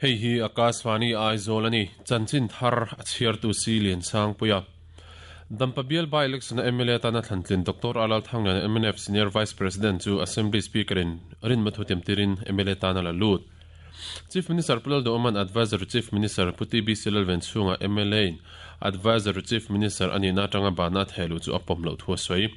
Hei hi Akashvani Aizawl a ni. Chanchin thar a chhiartu si Liansangpuia. Dampa bial by-election a mla atana thlantlin Doctor Alal Thangliana mnf Senior Vice President chu Assembly Speaker in rinma thu tiamtirin mla tan a la lut. Chief Minister Pu Lalduhawma'n Adviser Chief Minister Pu TBC Lalven chhunga mla in Adviser Chief Minister a nihna atanga bana a theh luh chu a pawm loh thu a sawi.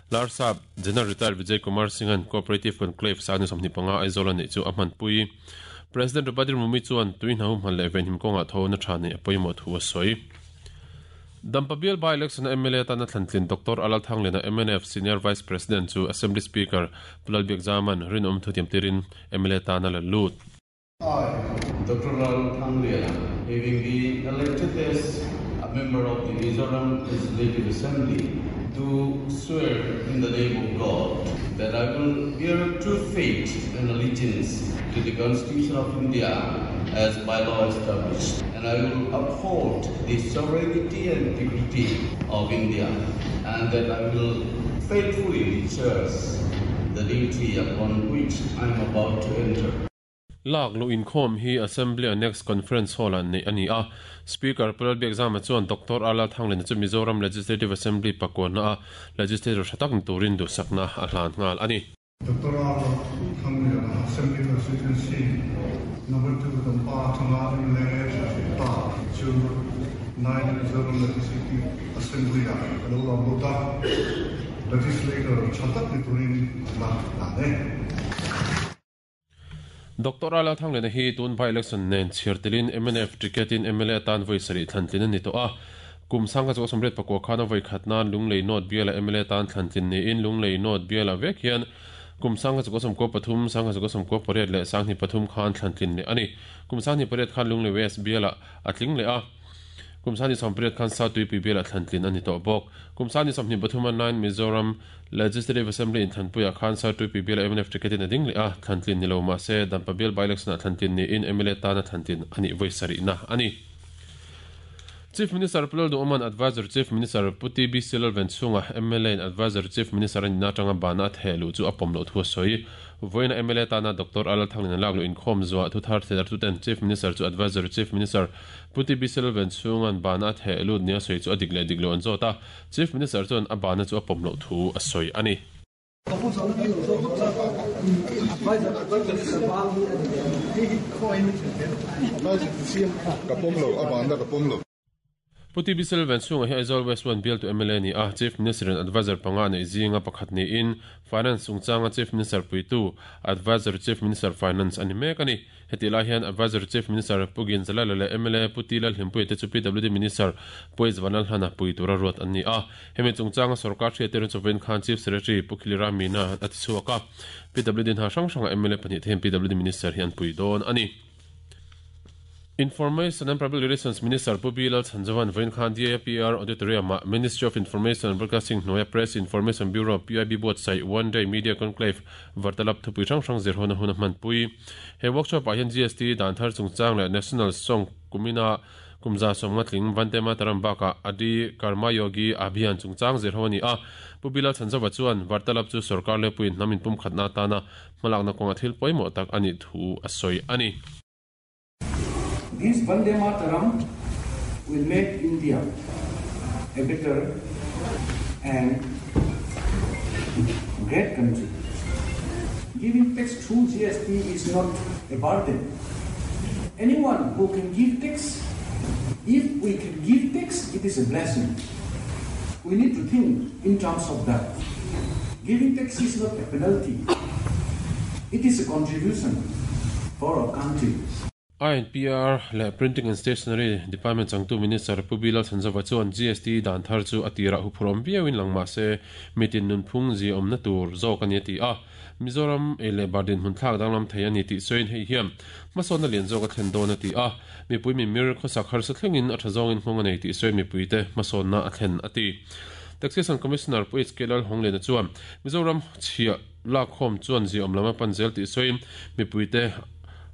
Larsap General Retired Vijay Kumar Singh-a'n Cooperative Conclave sang ni 25 Aizawl a neih chu a hmanpui. President Draupadi Murmu chuan tui hna humhal leh venhim kawngah tho na tha neih a pawimawh thu a sawi. Dampa bial by-election a mla atana thlantlin Doctor Alal Thangliana mnf Senior Vice President chu Assembly Speaker Pu Lalbiak Zaman rinawm thutiam tirin mla tan a la lut. I, Doctor Lal Thangliana, having been elected as a member of the Mizoram Legislative Assembly, do swear in the name of God that I will bear true faith and allegiance to the Constitution of India as by law established, and I will uphold the sovereignty and integrity of India, and that I will faithfully discharge the duty upon which I am about to enter. Lak luh inkhawm hi Assembly Annex Conference Hall-ah neih a ni a. Speaker Pu Lalbiakzama chuan Doctor R Lalthanglena chu Mizoram Legislative Assembly pakuana a Legislator tha tak ni turin duhsakna a hlan nghal a ni. Doctor R Lalthangliana Assembly Constituency Number 2 Dampa atanga mla pa chu nine Mizoram Legislative Assembly-ah a lo lam lut a, Legislator tha tak ni turin la hlan e. Doctor A Lalthanglena hi tun by-election nen chhiar telin mnf ticket in mla atan vawi sarih thlantlin a ni tawh a. Kum sangha chu 94 khan a vawi khat nan Lunglei North biala mla atan thlantlin niin Lunglei North biala vek hian kum sangha chu 93, sangha chu 98 leh sanghnih pathum khan thlantlin leh a ni. Kum sanghnih pariat khan Lunglei West biala a tling leh a. Kum sangni 80 khan South Tuipui bialah thlantlin a ni tawh bawk. Kum sangni 23 a nine Mizoram Legislative Assembly inthlanpuiah khan South Tuipui bialah mnf ticket in a ding leh a, thlantlin ni lo mah se Dampa bial by-election-ah thlantlin niin mla tana thlantlin a nih vawi sarihna a ni. Chief Minister Pu Lalduhawma'n Adviser Chief Minister Pu TBC Lalven chhunga mla in Adviser Chief Minister a nihna atanga bana a theh luh chu a pawm loh thu a sawi. Vawiina mla tana Doctor A Lalthanglin a lak luh inkhawm zuah thuthar thlertuten Chief Minister chu Adviser Chief Minister Pu TB Selven chhunga'n bana a theh lut nia sawi chu a dik leh dik lo an zawt a, Chief Minister chuan a bana chu a pawm loh thu a sawi a ni. Ka pawm lo, a bana ka pawm lo. Pu TB Selven chhunga hi Aizawl West One bialtu mla a ni a, Chief Minister in Adviser panga neih zinga pakhat niin Finance chungchanga Chief Minister puitu, Adviser Chief Minister Finance a ni mek a ni. Hetih lai hian Adviser Chief Minister Pu Ginzalala leh mla Pu T Lalhlimpuia te chu PWD Minister Pu H Vanlalhlana pui tura ruat an ni a. Hemi chungchanga sorkar hriattir an chawin khan Chief Secretary Pu Khilira Meena a ti chhuak a. PWD hna hrang hrangah mla pahnih te hian PWD Minister hi an pui dawn a ni. Information and Public Relations Minister Pu B Lalchhanzova'n vawiin khan DIPR Auditorium-ah Ministry of Information and Broadcasting hnuaia Press Information Bureau, PIB, buatsaih One Day Media Conclave Vartalap thupui hrang hrang zirhawna hun a hmanpui. He workshop-ah hian GST dan thar chungchang leh National Song kumina kum 150 tling Vande Mataram bakah Adi Karma Yogi Abhiyan chungchang zirho a ni a. Pu B Lalchhanzova chuan Vartalap chu sorkar lepuiin hnam inpumkhatna atana hmalakna kawnga thil pawimawh tak a nih thu a sawi a ni. This Vande Mataram will make India a better and great country. Giving tax through GST is not a burden. Anyone who can give tax, if we can give tax, it is a blessing. We need to think in terms of that. Giving tax is not a penalty. It is a contribution for our country. INPR leh Printing and Stationery Department changtu Minister Pu Bilal Chhanzova chuan GST dan thar chu a tirah huphurhawm viauin lang mah se mitin nunphung ziaawmna tur zawk a ni a ti a. Mizoram ei leh bar dinhmun thlak danglam thei a ni tih sawiin hei hian hmasawnna lian zawk a thlen dawn a ti a. Mipui mimir khawsak harsa thlengin a tha zawngin nghawng a nei tih sawiin mipuite hmasawnna a thlen a ti. Taxation Commissioner Pu HK Lalhawngliana chuan Mizoram chhiah lakkhawm chuan ziaawm lam a pan zel tih sawiin mipuite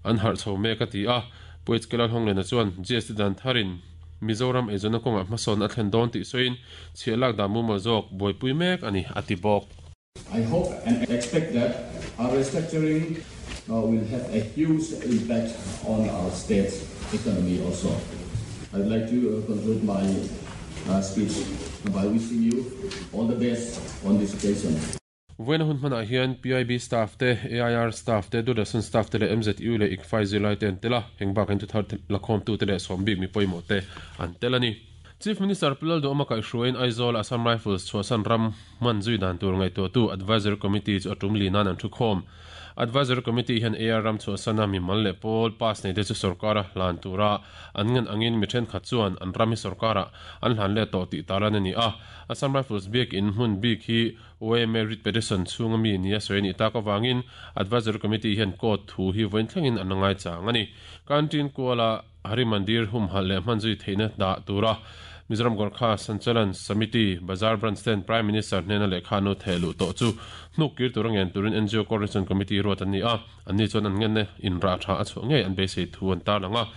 an harh chho mek a ti a. Pu HK Lalhawngliana chuan GST dan tharin Mizoram eizawnna kawngah hmasawnna a thlen dawn tih sawiin chhiah lak dan mumal zawk buaipui mek a ni a ti bawk. I hope and expect that our restructuring will have a huge impact on our state's economy also. I'd like to conclude my speech by wishing you all the best on this occasion. Vawiina hun hmanah hian PIB staff te, AIR staff te, Doordarshan staff te leh MZU leh ICFAI zirlai te an tel a, heng bakah hian thuthar lakhawmtu te leh sawm bik mi pawimawh te an tel a ni. Chief Minister Pu Lalduhawma kaihhruaiin Aizawl Assam Rifles chhuahsan ram hman zui dan tur ngaihtuahtu Advisory Committee chu a tum li nan an thukhawm. Advisory Committee hian AR ram chhuahsana mimal leh pawl pass nei te chu sorkara hlan tura an ngen angin mi thenkhat chuan an ram hi sorkarah an hlan let tawh tih tarlan a ni a. Assam Rifles biakin hmun bik hi YMA writ petition chhunga mi nia sawi a nih tak avangin Advisory Committee hian court thu hi vawiin thlengin an la ngaichang a ni. Canteen kuala Hari Mandir humhalh leh hman zui theihna dah tura Mizoram Gorkha Sanchalan Samiti Bazar Branch ten Prime Minister hnena lehkha nu theh luh tawh chu hnuk kir tura ngen turin NGO Coordination Committee ruat an ni a, anni chuan an ngenna in rah tha a chhuah ngei an beisei thu an tarlang a.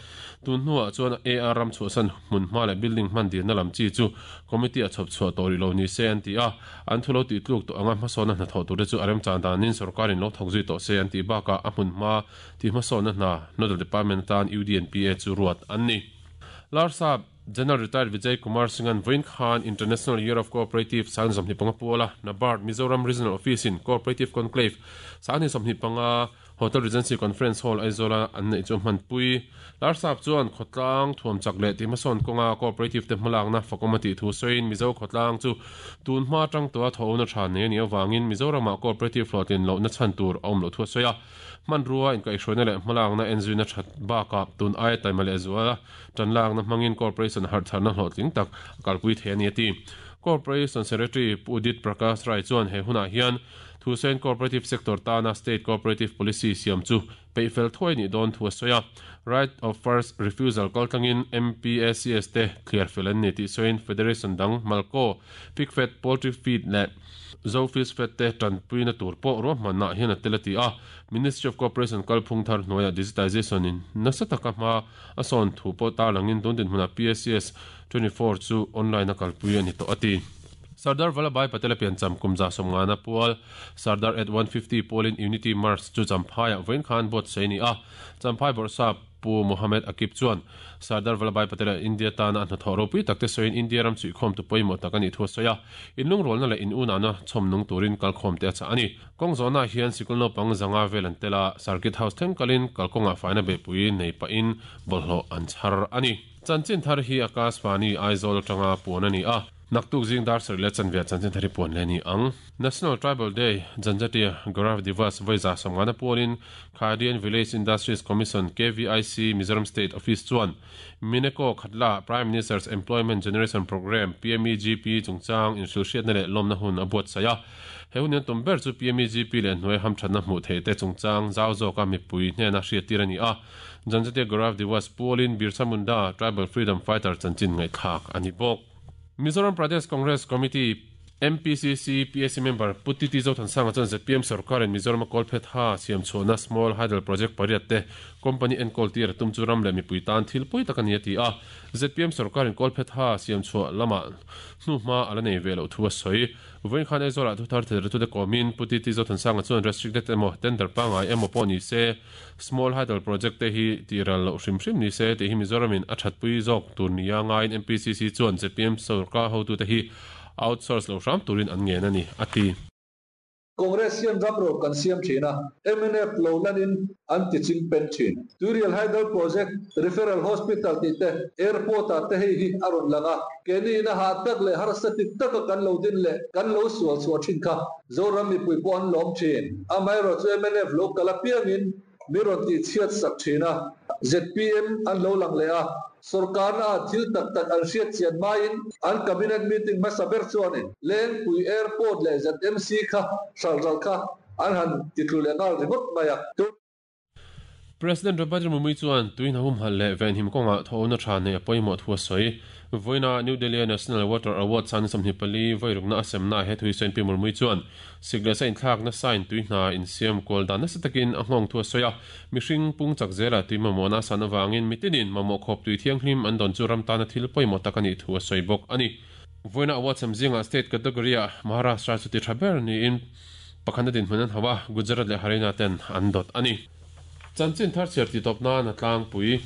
Tun hnuah chuan AR ram chhuahsan hmun hma leh building hman dilna lam chi chu Committee a chhawp chhuah tawh rih lo ni se an ti a, an thu lo tih tluk tawh anga hmasawnna hnathawh turte chu a remchan danin sorkarin lo thawk zui tawh se an tih bakah a hmun hma Tih hmasawnna hna Nodal Department atan UDNPA chu ruat an ni. Larsap General Retired Vijay Kumar Singh-a'n vawiin khan International Year of Cooperative 2025 puala NABARD Mizoram Regional Office-in Cooperative Conclave 2025 Hotel Regency Conference Hall Aizawla an neih chu a hmanpui. Larsap chuan khawtlang thuam chak leh tih hmasawn kawnga cooperative te hmalakna fakawm a tih thu sawiin Mizo khawtlang chu tun hma atang tawha thawhna tha nei a nih avangin Mizoramah cooperative hlawhtlin lohna chhan tur a awm loh thu a sawi a. Hmanrua inkaihhruaina leh hmalakna enzuina that bakah tun aia taima leh zuala tanlakna hmangin Corporation harhtharna hlawhtling tak a kalpui thei a ni a ti. Corporation Secretary Pu Udit Prakash Rai chuan he hunah hian Thusain Cooperative Sector tana State Cooperative Policy siam chu peihfel thuai nih dawn thu a sawi a. Right of First Refusal kaltlangin MPACS te thliar fel an ni tih sawiin Federation dang Malco, Pigfed, Poultry Feed leh Zofish Fed te tanpuina tur pawh ruahmanna hian a tel a ti a. Ministry of Cooperation kalphung thar hnuaiah digitization in nasa taka hma a sawn thu pawh tarlangin tun dinhmunah PACS 24 chu online a kalpui a ni tawh a ti. Sardar Vallabhbhai Patel a piancham kum 150 pual Sardar at 150 pualin Unity March chu Champhaiah vawiin khan buatsaih a ni a. Champhai bawrhsap Pu Mohammed Akib chuan Sardar Vallabhbhai Patel-a India tana a hnathawh ropui takte sawiin India ram chhuihkhawmtu pawimawh tak a nih thu a sawi a, inlungrualna leh inunahna chhawm nung turin kalkhawmte a chah a ni. Kawng zawhnaah hian sikul naupang zanga vel an tel a, Circuit House thleng kalin kalkawngah faina beihpui nei pahin bawlhhlawh an chhar a ni. Chanchin thar hi Akashvani Aizawl atanga puan a ni a. Naktuk zing dar sarih leh chanve ah chanchin thar hi puan leh a ni ang. National Tribal Day, Janjatiya Gaurav Divas vawi 150 pualin Khadi and Village Industries Commission, KVIC, Mizoram State Office chuan Mineko Khatla Prime Minister's Employment Generation Programme, PMEGP, chungchang inhrilhhriatna leh lawmna hun a buatsaih a. He hun hian tum ber chu PMEGP leh hnuai hamthatna hmuh theih te chungchang zau zawka mipui hnena hriattir a ni a. Janjatiya Gaurav Divas pualin Birsa Munda Tribal Freedom Fighter chanchin ngaihthlak a ni bawk. Mizoram Pradesh Congress Committee, MPCC, PAC member Pu Titi Zothansanga chuan zpm sorkarin Mizorama kawlphet ha siam chhuahna Small Hydel Project pariat te company enkawl tir a tum chu ram leh mipui tan thil pawi tak a ni a ti a. Zpm sorkarin kawlphet ha siam chhuah lamah hnuhma a la nei ve loh thu a sawi. Vawiin khan Aizawlah thuthar thilretute kawmin Pu Titi Zothansanga chuan restricted emaw tender pangngai emaw pawh ni se Small Hydel Project te hi tih ral loh hrim hrim ni se tih hi Mizoramin a thatpui zawk tur nia ngaiin MPCC chuan zpm sorkar hotute hi outsource lo hram turin an ngen a ni, a ti. Congress hian ram ro kan siam thin a, mnf lo lanin an ti ching pen thin. Tuirial Hydel Project, Referral Hospital tih te, Airport ah te hei hi a rawn lang a, keini ina hah tak leh harsa ti taka kan lo din leh kan lo sual chhuah thin kha Zoram mipui pawh an lawm thin. Amaherawh chu mnf lo kal apiangin mi rawn tih chhiat sak thin a, zpm an lo lang leh a, sorkarna ah thil tak tak an hriat chian hmain an cabinet meeting hmasa ber chuanin Lengpui Airport leh ZMC kha hralh ral kha an han titlu leh nghal ringawt mai a. President Draupadi Murmu chuan tui hna humhalh leh venhim kawngah thawhna tha neih a pawimawh thu a sawi. Vawiina New Delhi-a National Water Award san 24 vawirukna a semnaah he thu hi sawiin Pi Murmu chuan sik leh sa inthlakna sain tui hna insiam kual dan nasa takin a nghawng thu a sawi a. Mihring pung chak zela tui mamawhna a san avangin mitinin mamawh khawp tui thianghlim an dawn chu ram tana thil pawimawh tak a nih thu a sawi bawk a ni. Vawiina award sem zingah state category-ah Maharashtra chu ti tha ber niin Pakhatna dinhmun an hauh a, Gujarat leh Haryana ten an dawt a ni. Chanchin thar chhiar titawp nan a tlangpui.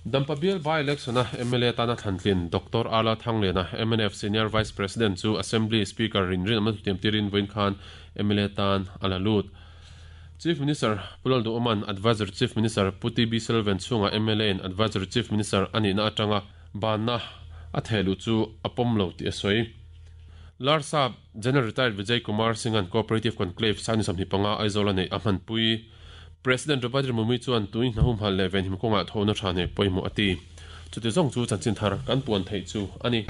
Dampa bial by-election-a mla tana thlantlin Doctor Ala Thangliana, mnf Senior Vice President chu Assembly Speaker rinrin awmna thutiam tirin vawiin khan mla tan a la lut. Chief Minister Pu Lalduhawma'n Advisory Chief Minister Pu TB Selvan chhunga mla in Advisory Chief Minister a nihna atanga banna a theh luh chu a pawm lo tih a sawi. Larsap General Retired Vijay Kumar Singh-a'n Cooperative Conclave Sani 25 Aizawl-a neih a hmanpui. President Draupadi Murmu chuan tui hna humhalh leh venhim kawngah thawhna tha nei pawimawh a ti. Chuti zawng chu chanchin thar kan puan theih chu a ni.